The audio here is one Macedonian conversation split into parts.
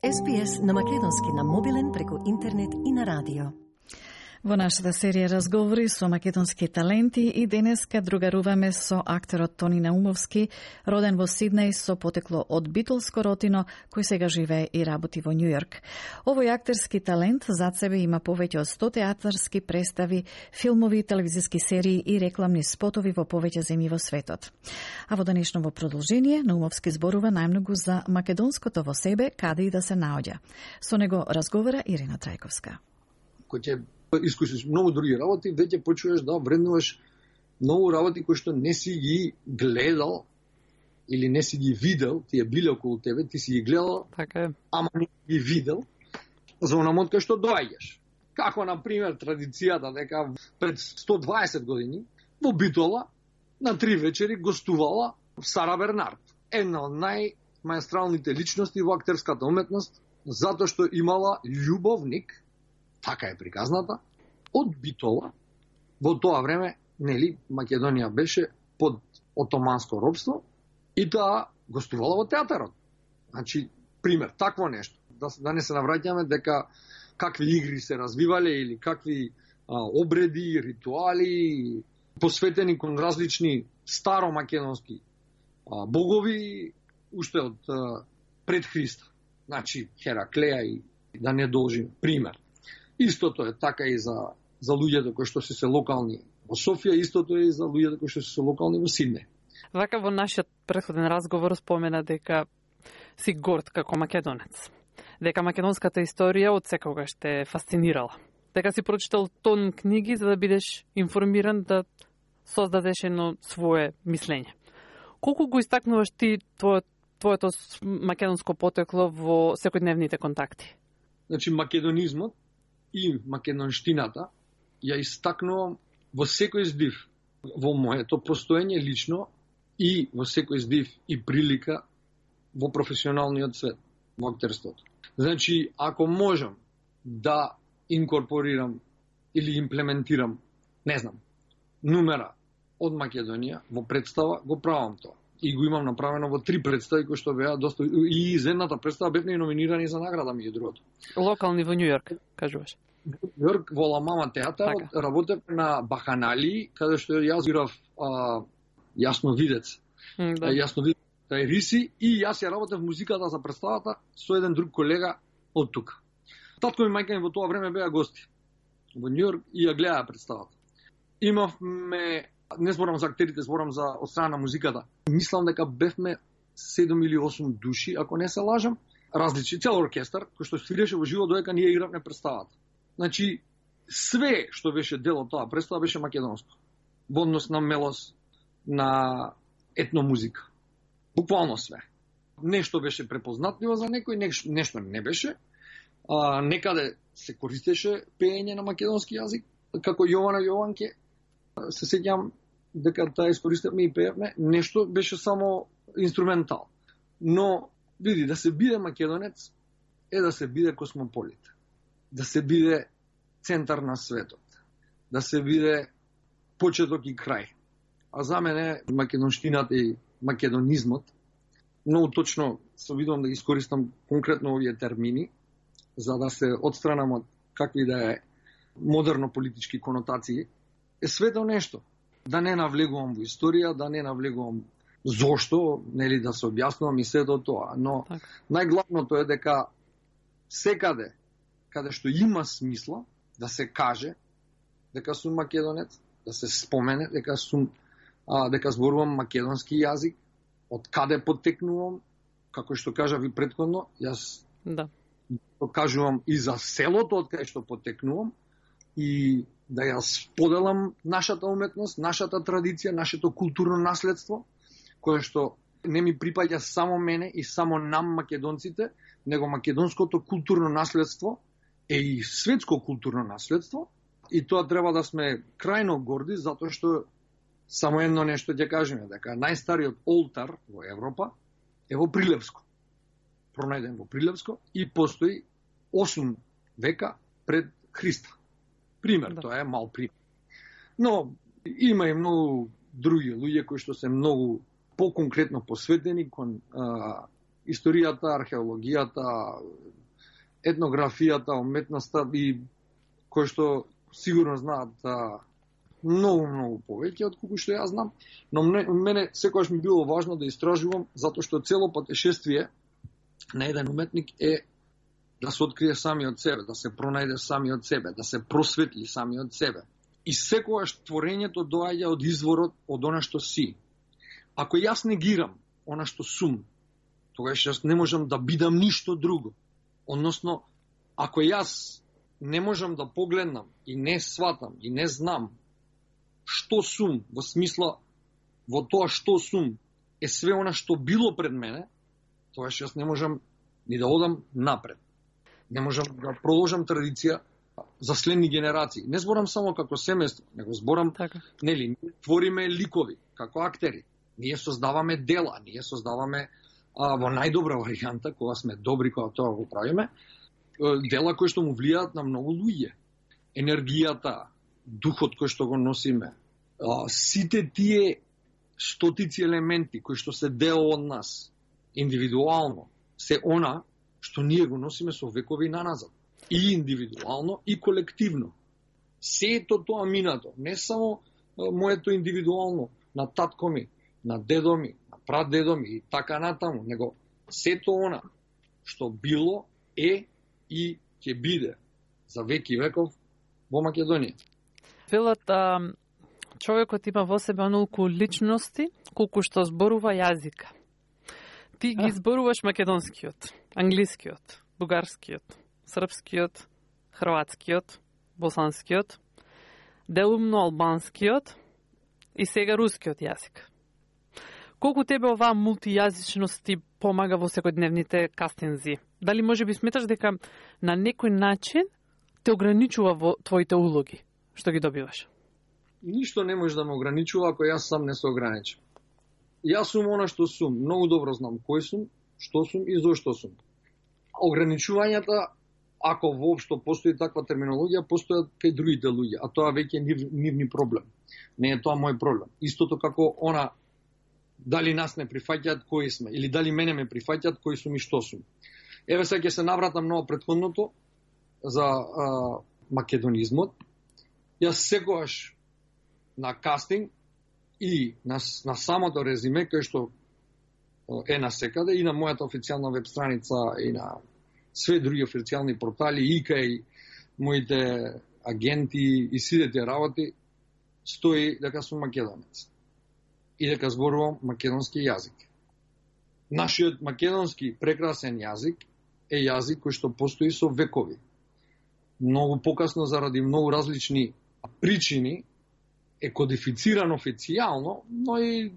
SPS на македонски на мобилен преку интернет и на радио. Во нашата серија разговори со македонски таленти и денеска другаруваме со актерот Тони Наумовски, роден во Сиднеј со потекло од битолско ротино, кој сега живее и работи во Њујорк. Овој актерски талент зад себе има повеќе од 100 театарски представи, филмови, телевизиски серии и рекламни спотови во повеќе земји во светот. А во денешново продолжение Наумовски зборува најмногу за македонското во себе, каде и да се наоѓа. Со него разговара Ирина Трајковска. Искусиш многу други работи, веќе почуваш да вреднуваш многу работи кои што не си ги гледал или не си ги видел, ти е биле околу тебе, ти си ги гледал, така, ама не ги видел, за онамот кај што доаѓаш. Како, например, традицијата дека пред 120 години во Битола на 3 вечери гостувала Сара Бернард, една од најмаестралните личности во актерската уметност, затоа што имала љубовник, така е приказната, од Битола. Во тоа време, нели, Македонија беше под отоманско робство и таа гостувала во театарот. Значи, пример, такво нешто. Да не се навраќаме дека какви игри се развивале или какви обреди, ритуали, посветени кон различни старомакедонски богови, уште од пред Христа. Значи, Хераклеја и да не должим пример. Истото е така и за луѓето кои што се локални во Софија, истото е и за луѓето кои што се локални во Сиднеј. Вака во нашиот претходен разговор спомена дека си горд како македонец. Дека македонската историја од секогаш те фасцинирала. Дека си прочитал тон книги за да бидеш информиран, да создадеш едно свое мислење. Колку го истакнуваш ти твоето македонско потекло во секојдневните контакти? Значи, македонизмот и македонштината ја истакнувам во секој здив во моето постоење лично и во секој здив и прилика во професионалниот свет, во актерството. Значи, ако можам да инкорпорирам или имплементирам, не знам, нумера од Македонија во представа, го правам тоа. И го имам направено во 3 представи кои што беа доста, и из едната представа бевме номинирани за награда меѓу другото. Локални во Њујорк, кажуваш. Во Њујорк во Ла Мама театар, така. Работев на Баханали, каде што јас играв јасновидец. Да. Јасновидец тај Риси, и јас ја работев музиката за представата со еден друг колега од тука. Татко и мајка ми во тоа време беа гости во Њујорк и ја гледаа представата. Имавме, не зборам за актерите, зборам за од страна на музиката. Мислам дека бевме 7 или 8 души, ако не се лажам, различни, цел оркестар, кој што свиреше во живо додека ние игравме представата. Значи, све што беше дел од тоа представа беше македонско. Во однос на мелос, на етномузика. Буквално све. Нешто беше препознатливо за некој, нешто не беше. Некаде се користеше пеење на македонски јазик, како Јована Јованке. Се сеќам дека таа искористевме и пеевме, нешто беше само инструментал. Но, види, да се биде македонец е да се биде космополит. Да се биде центар на светот. Да се биде почеток и крај. А за мене македонштината и македонизмот, многу точно се видам да ги искористам конкретно овие термини, за да се отстранам од какви да е модерно политички конотации, е свето нешто. Да не навлегувам во историја, да не навлегувам зошто, нели да се објаснувам и сето тоа. Но најглавното е дека секаде, каде што има смисла да се каже дека сум македонец, да се спомене дека зборувам македонски јазик, од каде потекнувам, како што кажав и претходно, јас кажувам и за селото од каде што потекнувам и да ја споделам нашата уметност, нашата традиција, нашето културно наследство, кое што не ми припаѓа само мене и само нам македонците, него македонското културно наследство е и светско културно наследство, и тоа треба да сме крајно горди, затоа што само едно нешто ќе кажеме, дека најстариот олтар во Европа е во Прилепско. Пронајден во Прилепско и постои 8 века пред Христа. Пример, тоа е мал пример. Но има и многу други луѓе кои што се многу поконкретно посветени кон историјата, археологијата, етнографијата, уметноста и кој што сигурно знаат многу повеќе од колку што јас знам, но мене секогаш ми било важно да истражувам, затоа што цело патешествие на еден уметник е да се открие самиот себе, да се пронајде самиот себе, да се просветли самиот себе. И секогаш творењето доаѓа од изворот од она што си. Ако јас негирам она што сум, тогаш јас не можам да бидам ништо друго. Односно, ако јас не можам да погледнам и не сватам и не знам што сум, во смисла во тоа што сум е све она што било пред мене, тогаш јас не можам ни да одам напред. Не можам да продолжам традиција за следни генерации. Не зборам само како семејство, него зборам, нели, твориме ликови, како актери. Ние создаваме дела, ние создаваме во најдобра варијанта, кога сме добри, кога тоа го правиме, дела кои што му влијаат на многу луѓе. Енергијата, духот кој што го носиме, сите тие стотици елементи кои што се дел од нас, индивидуално, се она што ние го носиме со векови наназад. И индивидуално, и колективно. Сето тоа минато, не само моето индивидуално, на татко ми, на дедо ми, на прадедо ми и така натаму, него сето она што било, е и ќе биде за веки веков во Македонија. Велат, човекот има во себе онолку личности, колку што зборува јазика. Ти ги зборуваш македонскиот, англискиот, бугарскиот, српскиот, хрватскиот, босанскиот, делумно албанскиот и сега рускиот јазик. Колку тебе оваа мултијазичност ти помага во секојдневните кастинзи? Дали може би сметаш дека на некој начин те ограничува во твоите улоги што ги добиваш? Ништо не може да ме ограничува ако јас сам не се ограничам. Јас сум она што сум, многу добро знам кој сум, што сум и зошто сум. Ограничувањата, ако воопшто постои таква терминологија, постојат кај другите луѓе, а тоа веќе е нивни проблем. Не е тоа мој проблем. Истото како она дали нас не прифаќаат кои сме, или дали мене ме прифаќаат кои сум и што сум. Еве сега ќе се навратам на претходното за македонизмот. Јас секогаш на кастинг и на самото резиме, кој што е на секаде, и на мојата официјална веб страница, и на све други официјални портали, и кај моите агенти и сите работи, стои дека сум македонец и дека зборувам македонски јазик. Нашиот македонски прекрасен јазик е јазик кој што постои со векови. Многу покасно, заради многу различни причини, е кодифициран официјално, но и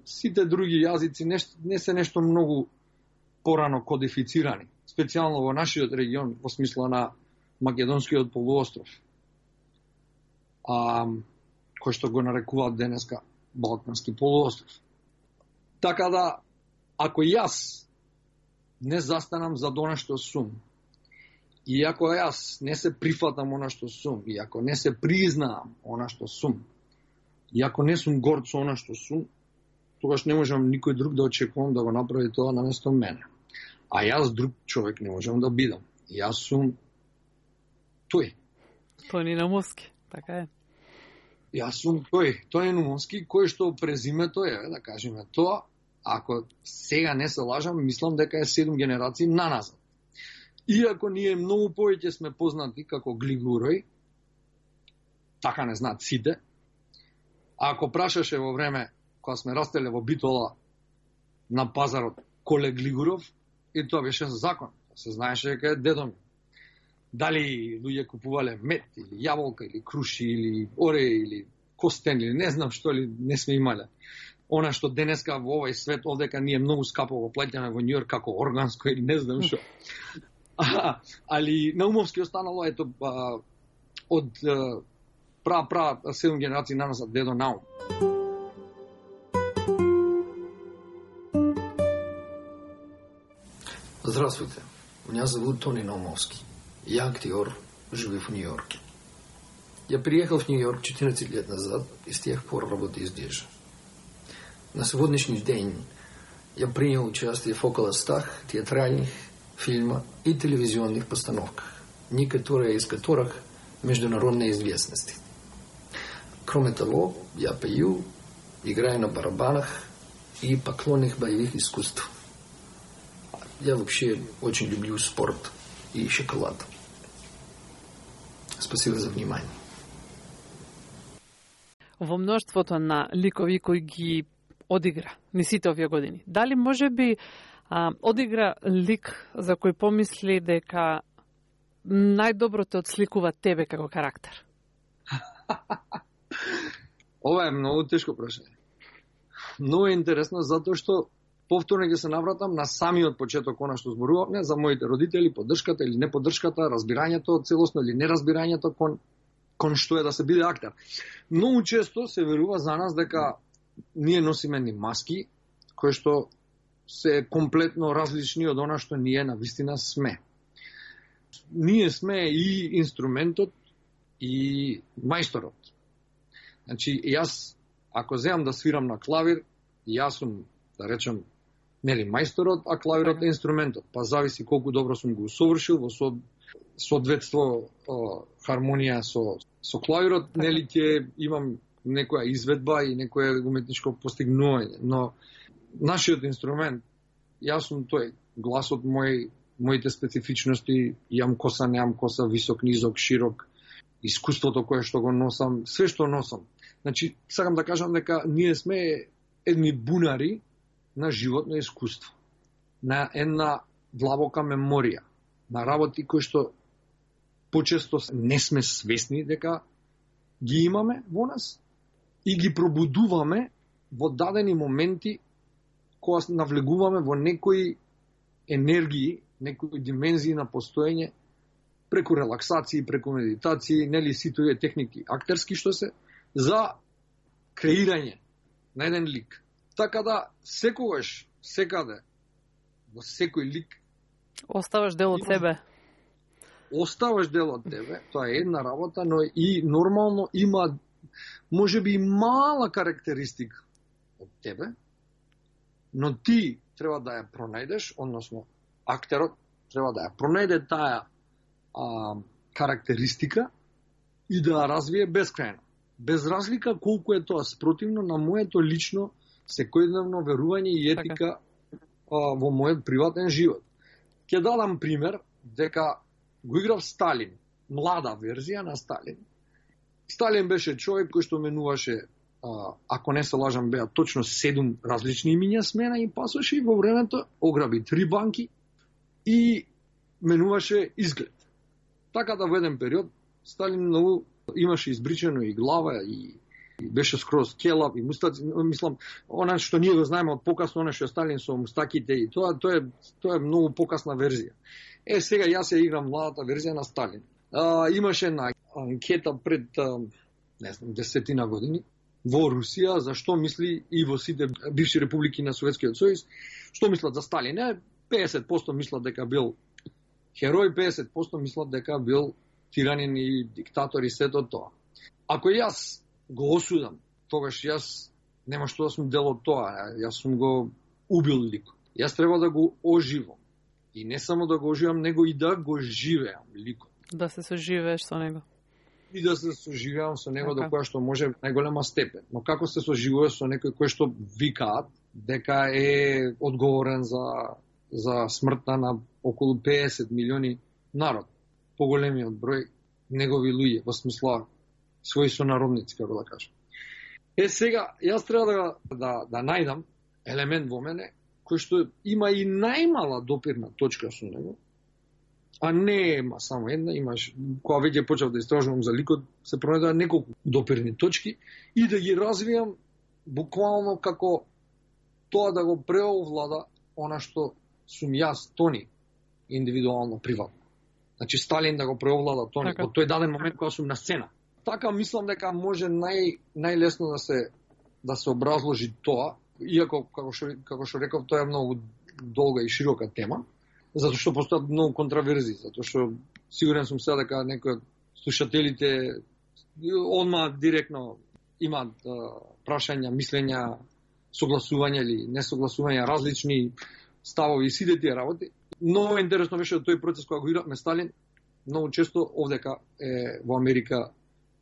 сите други јазици не се нешто многу порано кодифицирани. Специјално во нашиот регион, во смисла на Македонскиот полуостров, кој што го нарекуваат денеска Балкански полуостров. Така да, ако јас не застанам за она што сум, и ако јас не се прифатам она што сум, и ако не се признаам она што сум, и ако не сум горд со она што сум, тогаш не можам никој друг да очекувам да го направи тоа наместо мене. А јас друг човек не можам да бидам. Јас сум тој. Тони Наумовски, така е. Јас сум тој, Тони Наумовски, кој што презимето е, да кажеме тоа, ако сега не се лажам, мислам дека е 7 генерации наназад. Иако ние многу повеќе сме познати како Глигурој, така не знаат сите, а ако прашаше во време кога сме растеле во Битола на пазарот Коле Глигуров, и тоа беше закон. Се знаеше дека е дедо ми. Дали луѓе купувале мед, или јаболка, или круши, или оре, или костен, или не знам што ли не сме имале. Она што денеска во овој свет, овдека ние многу скапо го плаќаме во Њујорк како органско или не знам што. Али Наумовски останало ето од пра 7 генерации наназад дедо Наум. Здравствуйте, меня зовут Тони Наумовски. Я актер, живу в Нью-Йорке. Я приехал в Нью-Йорк 14 лет назад и с тех пор работаю здесь же. На сегодняшний день я принял участие в около 100 театральных, фильма и телевизионных постановках, некоторые из которых международной известности. Кроме того, я пою, играю на барабанах и поклонник боевых искусств. Я вообще очень люблю спорт и шоколад. Спасибо за внимание. Во мноштвото на ликови кои ги одигра ни сите овие години, дали може би одигра лик за кој помисли дека најдобро те отсликува тебе како карактер? Ова е многу тешко прашање. Многу е интересно затоа што повторно ќе се навратам на самиот почеток она што зборувавме за моите родители, поддршката или неподдршката, разбирањето целосно или неразбирањето кон што е да се биде актер. Многу често се верува за нас дека ние носиме ни маски кои што се комплетно различни од она што ние навистина сме. Ние сме и инструментот и мајсторот. Значи, јас, ако земам да свирам на клавир, јас сум, да речем, нели мајсторот, а клавирот е инструментот. Па зависи колку добро сум го усовршил во соодветство хармонија со клавирот, нели ќе имам некоја изведба и некое уметничко постигнување. Но нашиот инструмент, јас сум тој, гласот мој, моите специфичности, јам коса, неам коса, висок, низок, широк, искуството кое што го носам, све што носам. Значи, сакам да кажам дека ние сме едни бунари на животно искуство, на една длабока меморија, на работи кои што почесто не сме свесни дека ги имаме во нас и ги пробудуваме во дадени моменти кога навлегуваме во некои енергии, некои димензии на постоење, преку релаксации, преку медитации, нели сите овие техники актерски што се, за креирање на еден лик. Така да, секогаш, секаде, во секој лик, оставаш дел од себе. Оставаш дел од тебе, тоа е една работа, но и нормално има, може би, мала карактеристика од тебе, но ти треба да ја пронајдеш, односно актерот треба да ја пронајде таа карактеристика и да ја развие безкрајно. Без разлика колку е тоа спротивно на моето лично секојдневно верување и етика во мојот приватен живот. Ќе дадам пример дека го играв Сталин, млада верзија на Сталин. Сталин беше човек кој што менуваше, ако не се лажам, беа точно 7 различни имиња смена и пасоше, и во времето ограби 3 банки и менуваше изглед. Така да во еден период Сталин многу имаше избричено и глава и беше скроз келав и мустаци, мислам, она што ние го знаеме од покасно, она што Сталин со мустаките и тоа е многу покасна верзија. Сега јас ја играм младата верзија на Сталин. Имаше една анкета пред, не знам, 10 години во Русија, за што мисли и во сите бивши републики на Советскиот сојуз, што мислат за Сталин. 50% мислат дека бил херој, 50% мислат дека бил тиранин и диктатор и сето тоа. Ако јас го осудам, тогаш јас нема што да сум дел од тоа, јас сум го убил ликот. Јас треба да го оживам. И не само да го оживам, него и да го живеам ликот. Да се соживееш со него. И да се соживеам со него до која што може најголема степен. Но како се соживува со некој кој што викаат дека е одговорен за смртта на околу 50 милиони народ, поголемиот број негови луѓе, во смисла своји сонародници, како да кажам. Сега, јас треба да најдам елемент во мене кој што има и најмала допирна точка со него, а не има само една, имаш, кога веќе почав да истражувам за ликот, се пронајдоа неколку допирни точки и да ги развијам буквално како тоа да го преовлада она што сум јас, Тони, индивидуално, приватно. Значи Сталин да го преовлада Тони, во тој даден момент кога сум на сцена. Така мислам дека може најлесно да се образложи тоа, иако, како што реков, тоа е многу долга и широка тема, затоа што постојат многу контраверзии, затоа што сигурен сум сега дека некои од слушателите одма директно имаат прашања, мислења, согласувања или несогласувања, различни ставови и сите тие работи. Многу интересно беше тој процес кога го игравме Сталин. Многу често овдека во Америка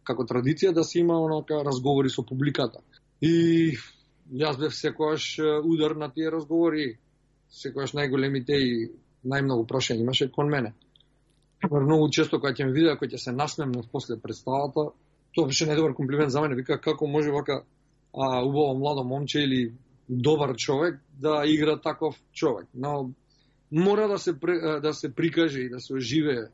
како традиција да се има онака разговори со публиката. И јас бев секогаш удар на тие разговори, секогаш најголемите и најмногу прашања имаше кон мене. Многу често кога ќе ме видеа, кога ќе се насмемнав после представата, тоа беше најдобар комплимент за мене. Вика, како може вака убаво младо момче или добар човек да игра таков човек. Но мора да се прикаже и да се оживее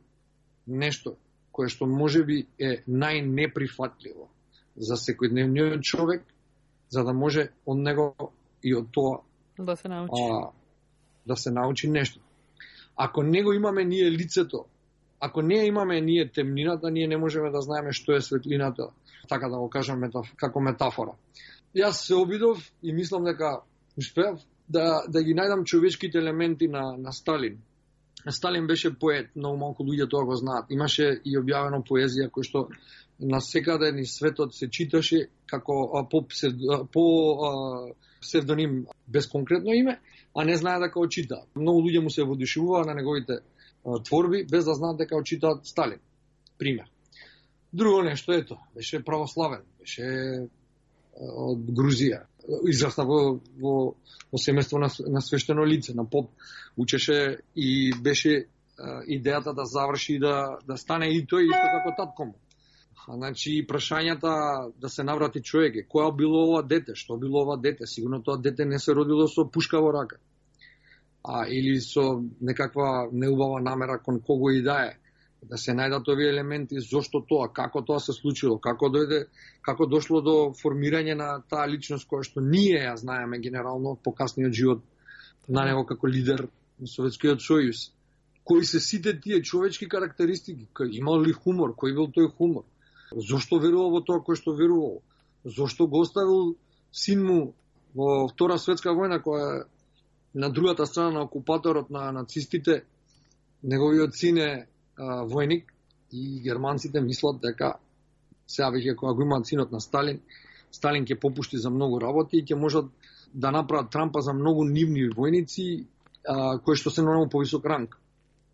нешто кое што можеби е најнеприфатливо за секојдневниот човек, за да може од него и од тоа да се научи. Да се научи нешто. Ако не го имаме ние лицето, ако не имаме ние темнината, ние не можеме да знаеме што е светлината, така да го кажам како метафора. Јас се обидов и мислам дека успеав да ги најдам човечките елементи на Сталин. Сталин беше поет, многу малку луѓе тоа го знаат. Имаше и објавено поезија кој што на секаде ни светот се читаше како по псевдоним без конкретно име, а не знае дека го читаат. Многу луѓе му се воодушевуваа на неговите творби без да знаат дека го читаат Сталин. Пример. Друго нешто, ето, беше православен, беше од Грузија. Израсна во семејство на свештено лице, на поп. Учеше и беше идејата да заврши и да стане и тој исто како татко му. Значи, прашањата да се наврати човек, која било ова дете, што било ова дете, сигурно тоа дете не се родило со пушка во рака. Или со некаква неубава намера кон кого и да е. Да се најдат овие елементи, зошто тоа, како тоа се случило, како дошло до формирање на таа личност која што ние ја знаеме генерално од покасниот живот на него како лидер на Советскиот сојуз. Кои се сите тие човечки карактеристики, имал ли хумор, кој бил тој хумор, зошто верувал во тоа кој што верувал, зошто го оставил син му во Втора светска војна, која на другата страна на окупаторот на нацистите, неговиот син е војник и германците мислат дека сега веќе кога го имаат синот на Сталин ќе попушти за многу работи и ќе можат да направат трампа за многу нивни војници кои што се на многу повисок ранг.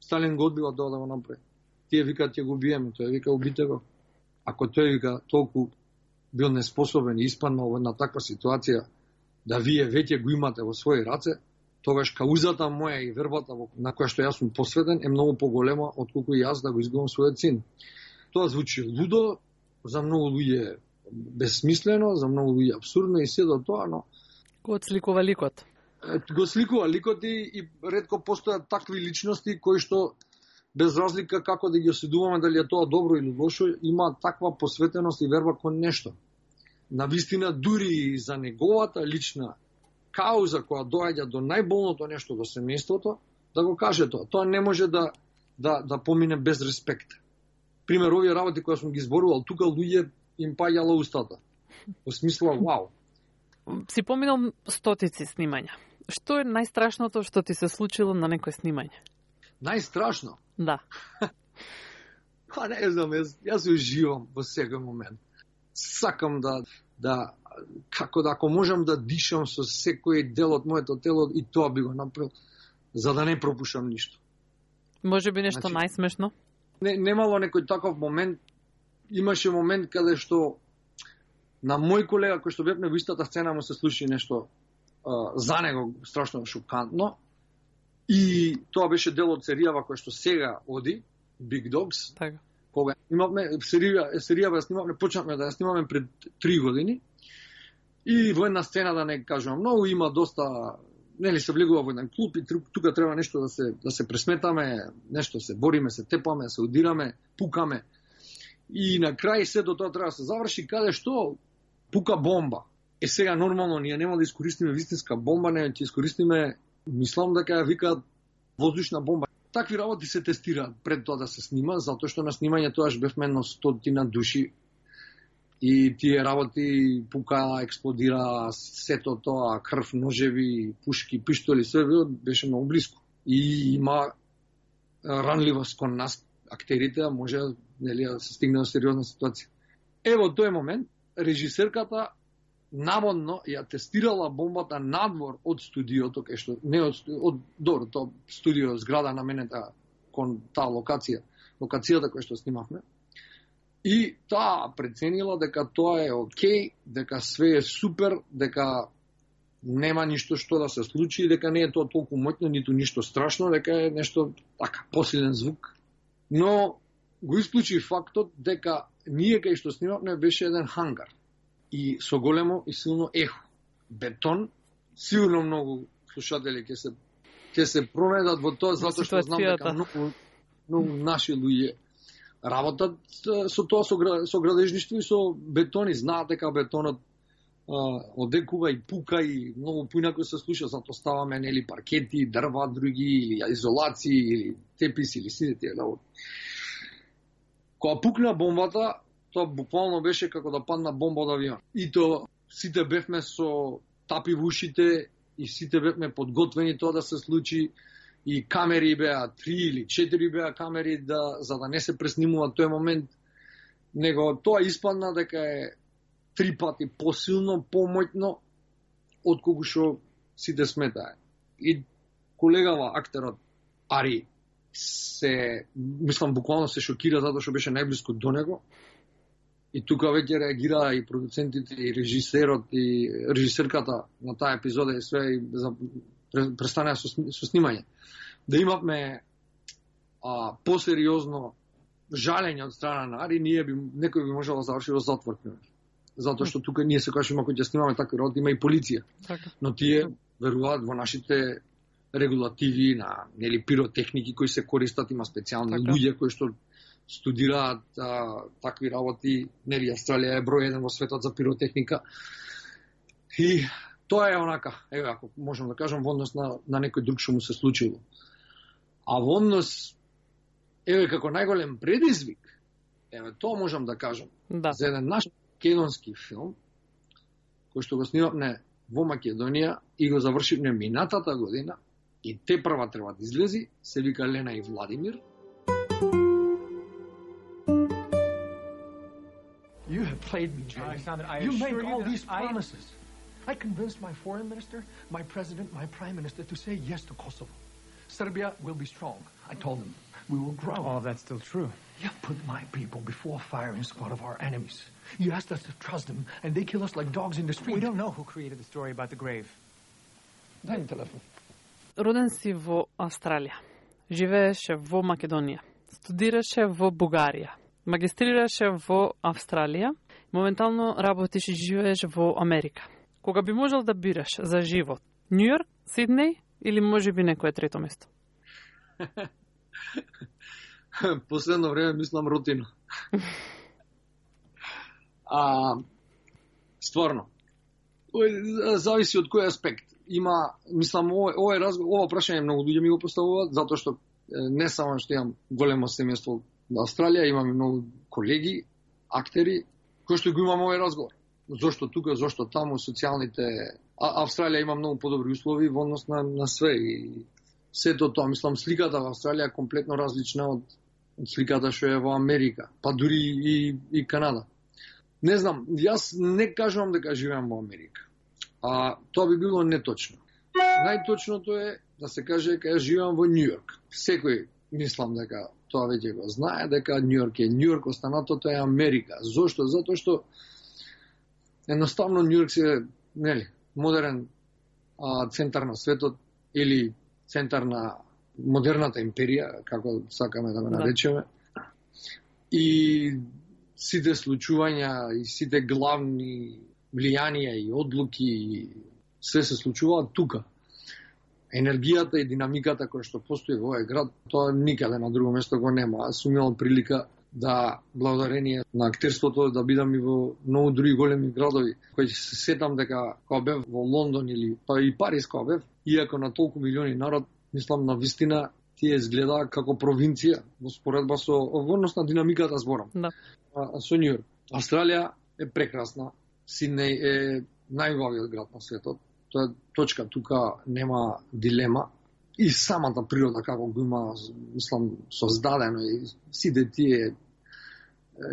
Сталин го одбива тоа да го направи. Тие викаат ќе го убиеме, тој вика убите го. Ако тој вика толку бил неспособен и испаднал во една таква ситуација да вие веќе го имате во своји раце, тогаш каузата моја и вербата на која што јас сум посветен е многу поголема отколку јас да го изгубам својот син. Тоа звучи лудо, за многу луѓе безсмислено, за многу луѓе абсурдно и се до тоа, но го сликува ликот. Го сликува ликот и ретко постојат такви личности кои што без разлика како да ги осудуваме дали е тоа добро или лошо, има таква посветеност и верба кон нешто. Навистина дури за неговата лична кауза која доаѓа до најболното нешто до семејството, да го каже тоа. Тоа не може да помине без респект. Пример, овие работи кои сум ги зборувал, тука луѓе им паѓала устата. Во смисла, вау. Си поминал стотици снимања. Што е најстрашното што ти се случило на некој снимање? Најстрашно? Да. Не знам, јас уживам во секој момент. Сакам ако можам да дишам со секој дел од моето тело, и тоа би го направил, за да не пропушам ништо. Може би нешто најсмешно? Немало некој таков момент. Имаше момент каде што на мој колега кој што бевме во истата сцена му се случи нешто за него страшно шокантно. И тоа беше дел од серијава која што сега оди, Big Dogs. Така. Кога имавме серијава снимавме, почнавме да ја снимаме пред 3 години. И во една сцена, да не кажувам многу, има доста, нели се влегува во еден клуб и тука треба нешто да се пресметаме, нешто се бориме, се тепаме, се удираме, пукаме. И на крај сето тоа треба да се заврши каде што пука бомба. Сега нормално ние нема да искористиме вистинска бомба, не ќе искористиме, мислам дека ја викаат воздушна бомба. Такви работи се тестираат пред тоа да се снима, затоа што на снимање тоаш бевме едно 100 души. И тие работи пука, експлодира, сето тоа, крв, ножеви, пушки, пиштоли, све беше многу близко. И има ранливост кон нас, актерите, може да се стигне до сериозна ситуација. Ево тој момент, режисерката наводно ја тестирала бомбата надвор од студиото, кај што не од тоа студио зграда наменета кон таа локацијата која што снимавме. И таа преценила дека тоа е окей, дека све е супер, дека нема ништо што да се случи, дека не е тоа толку моќно, ниту ништо страшно, дека е нешто така посилен звук. Но го исклучи фактот дека ние кај што снимавме беше еден хангар и со големо и силно ехо. Бетон, сигурно многу слушатели ќе се пронедат во тоа, затоа што знам дека многу наши луѓе работат со тоа, со градежништво и со бетони. Знаат дека бетонот одекува и пука и многу поинако се слуша, затоа ставаме нели паркети, дрва, други, или изолации, или теписи, или сите тие работи. Кога пукна бомбата, тоа буквално беше како да падна бомба од авион. И тоа сите бевме со тапи во ушите и сите бевме подготвени тоа да се случи. И камери беа 3 или 4 беа камери за да не се преснимува тој момент. Него тоа испадна дека е 3 пати посилно, помоќно од кога што сите сметае. И колегава актерот Ари мислам буквално се шокира затоа што беше најблиско до него. И тука веќе реагираа и продуцентите и режисерот и режисерката на таа епизода и све и престанаа со снимање. Да имавме посериозно жалење од страна на Ари, некој би можел да заврши во затвор. Затоа што тука ние се кажеме кога ќе снимаме такви работи, има и полиција. Но тие веруваат во нашите регулативи на нели пиротехники кои се користат, има специјални луѓе кои што студираат такви работи. Нели Австралија е број 1 во светот за пиротехника. И тоа е онака, еве ако можам да кажам, во однос на некој друг што му се случило. А во однос, еве како најголем предизвик, еве тоа можам да кажам, за еден наш македонски филм, кој што го снимавме во Македонија и го завршивме минатата година, и те прва треба да излези, се вика Лена и Владимир. You have played me, Jay. You made all these promises. I convinced my foreign minister, my president, my prime minister to say yes to Kosovo. Serbia will be strong. I told them we will grow. Oh, that's still true. You put my people before firing squad of our enemies. You asked us to trust them, and they kill us like dogs in the street. We don't know who created the story about the grave. Дай ми телефон. Роден си во Австралија. Живееше во Македонија. Студираше во Бугарија. Магистрираше во Австралија. Моментално работиш и живееш во Америка. Кога би можел да бираш за живот? Њујорк, Сиднеј или можеби некое трето место? Последно време мислам Ротино. Стварно. Зависи од кој аспект. Има, мислам, ова прашање многу луѓе ми го поставуваат, затоа што не само што имам големо семејство во Австралија, имам и многу колеги, актери, кои што го имам овој разговор. Зошто тука, зошто таму, социјалните... Австралија има многу подобри услови во однос на све и сето тоа. Мислам, сликата во Австралија е комплетно различна од сликата што е во Америка, па дури и Канада. Не знам, јас не кажувам дека живеам во Америка. Тоа би било неточно. Најточното е да се каже дека јас живеам во Њујорк. Секој, мислам дека тоа веќе го знае, дека Њујорк е Њујорк, останатото е Америка. Зошто? Затоа што едноставно Њујорк се, нели, модерен центар на светот или центар на модерната империја, како сакаме да го наречеме. И сите случувања и сите главни влијанија и одлуки се случуваат тука. Енергијата и динамиката која што постои во овој град, тоа никаде на друго место го нема. Аз сум имал прилика да, благодарение на актерството, да бидам и во многу други големи градови, кои се сетам дека кога бев во Лондон или па и Париз кога бев, иако на толку милиони народ, мислам на вистина тие изгледа како провинција во споредба со однос на динамиката зборам. Да. Со Њујорк. Австралија е прекрасна. Сиднеј е најубавиот град на светот. Тоа е точка, тука нема дилема. И самата природа како го има, мислам, создадено и сите тие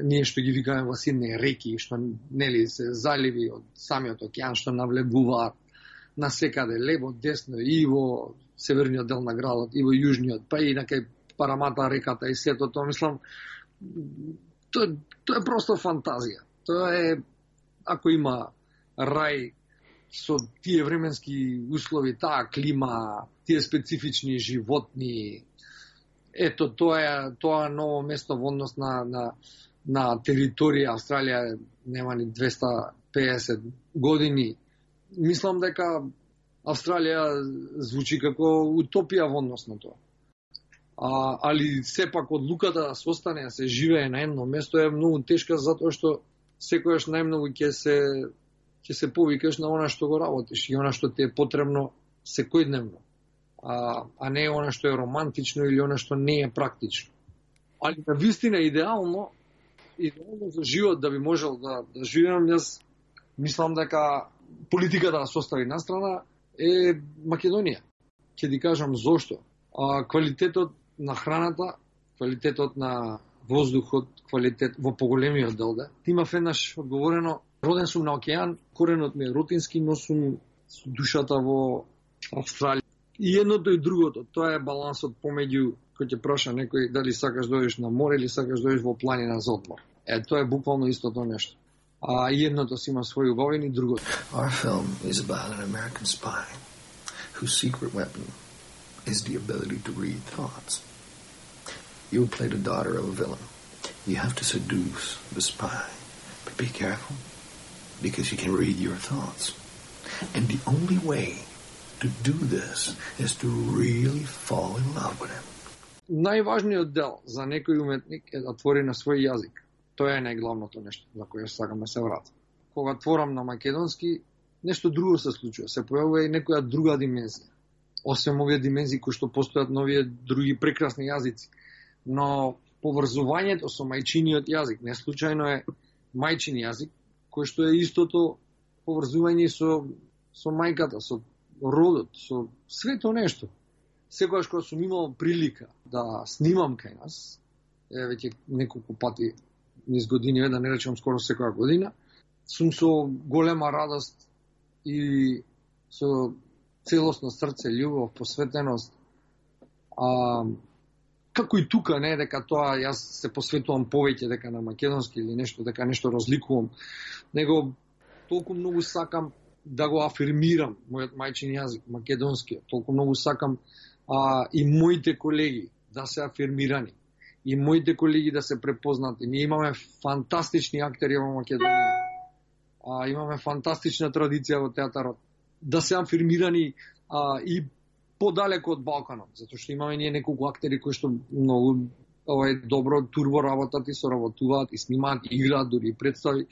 ние што ги викаме во Сиднеј реки, што нели се заливи од самиот океан што навлегуваат на секаде, лево, десно, и во северниот дел на градот, и во јужниот, па и на кај Парамата реката и сето тоа, мислам, тоа е просто фантазија. Тоа е, ако има рај со тие временски услови, таа клима, тие специфични животни, ето тоа ново место во однос на територија Австралија нема ни 250 години. Мислам дека Австралија звучи како утопија во однос на тоа. Али сепак одлуката да се остане, да се живее на едно место е многу тешка, затоа што секојаш најмногу ќе се повикаш на она што го работиш и она што ти е потребно секојдневно, а не она што е романтично или она што не е практично. Али на вистина идеално за живот да би можел да живеам, јас мислам дека политиката да се остави настрана е Македонија. Ќе ти кажам зошто. Квалитетот на храната, квалитетот на воздухот, квалитет во поголемиот дел. Имав еднаш одговорено, роден сум на океан, коренот ми е рутински, но сум со душата во Австралија. И едното и другото, тоа е балансот помеѓу, кој ќе праша некој дали сакаш да одиш на море или сакаш да одиш во планина за одмор. Тоа е буквално истото нешто. И едното си има своји убавини, и другото. Our film is about an American spy whose secret weapon is the ability to read thoughts. You play the daughter of a villain. You have to seduce the spy. But be careful, because he can read your thoughts. And the only way to do this is to really fall in love with him. Најважниот дел за некој уметник е да твори на свој јазик. Тоа е најглавното нешто за кое сакам да се вратам. Кога творам на македонски, нешто друго се случува. Се појавува и некоја друга димензија. Освен овие димензии кои што постојат на овие други прекрасни јазици. Но поврзувањето со мајчиниот јазик, не случајно е мајчин јазик, кој што е истото поврзување со мајката, со родот, со свето нешто. Секогаш кога сум имал прилика да снимам кај нас, веќе неколку пати низ години, да не речем скоро секоја година, сум со голема радост и со целосно срце, љубов, посветеност. Како и тука, не дека тоа јас се посветувам повеќе дека на македонски или нешто, дека нешто разликувам, него толку многу сакам да го афирмирам мојот мајчин јазик, македонскиот. Толку многу сакам и моите колеги да се афирмирани, и моите колеги да се препознати. Ние имаме фантастични актери во Македонија, имаме фантастична традиција во театарот, да се афирмирани и подалеку од Балканот, затоа што имаме ние неколку актери кои што многу добро турбо работат и соработуваат и снимаат и играат дури и представи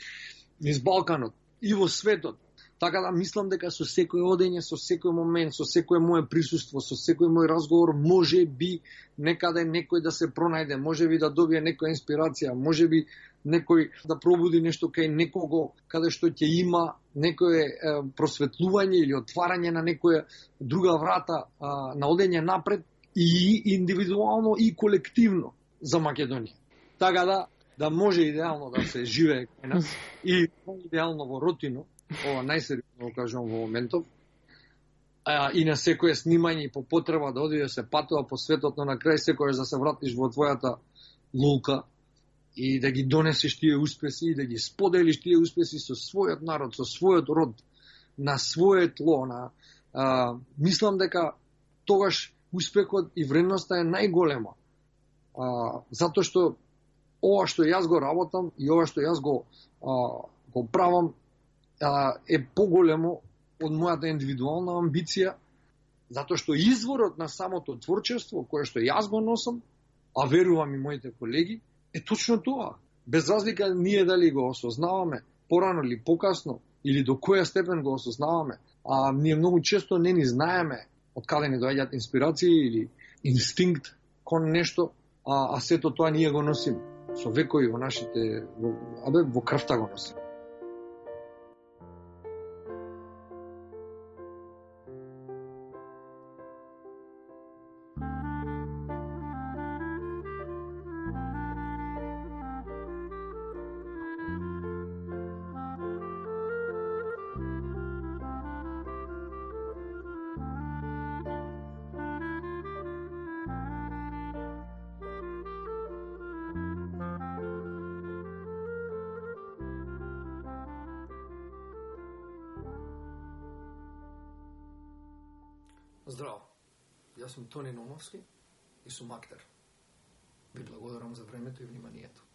низ Балканот и во светот. Така да мислам дека со секој одење, со секој момент, со секој моје присуство, со секој мој разговор, може би некаде некој да се пронајде, може би да добие некоја инспирација, може би некој да пробуди нешто кај некого, каде што ќе има некое просветлување или отварање на некоја друга врата на одење напред и индивидуално и колективно за Македонија. Така да може идеално да се живее кај нас и идеално во рутино, ова најсериозно кажувам во моментов, и на секое снимање и по потреба да оди да се патува по светот, но на крај секојаш да се вратиш во твојата лулка и да ги донесеш тие успеси и да ги споделиш тие успеси со својот народ, со својот род, на своје тло. Мислам дека тогаш успехот и вредноста е најголема. Затоа што ова што јас го работам и ова што јас го правам е поголемо од мојата индивидуална амбиција, затоа што изворот на самото творчество, кое што јас го носам, а верувам и моите колеги, е точно тоа. Без разлика ние дали го осознаваме порано или покасно, или до која степен го осознаваме, ние многу често не ни знаеме од каде ни доаѓаат инспирации или инстинкт кон нешто, а сето тоа ние го носиме со векови во нашите, во крвта го носиме. Здраво, јас сум Тони Наумовски и сум актер. Ви благодарам за времето и вниманието.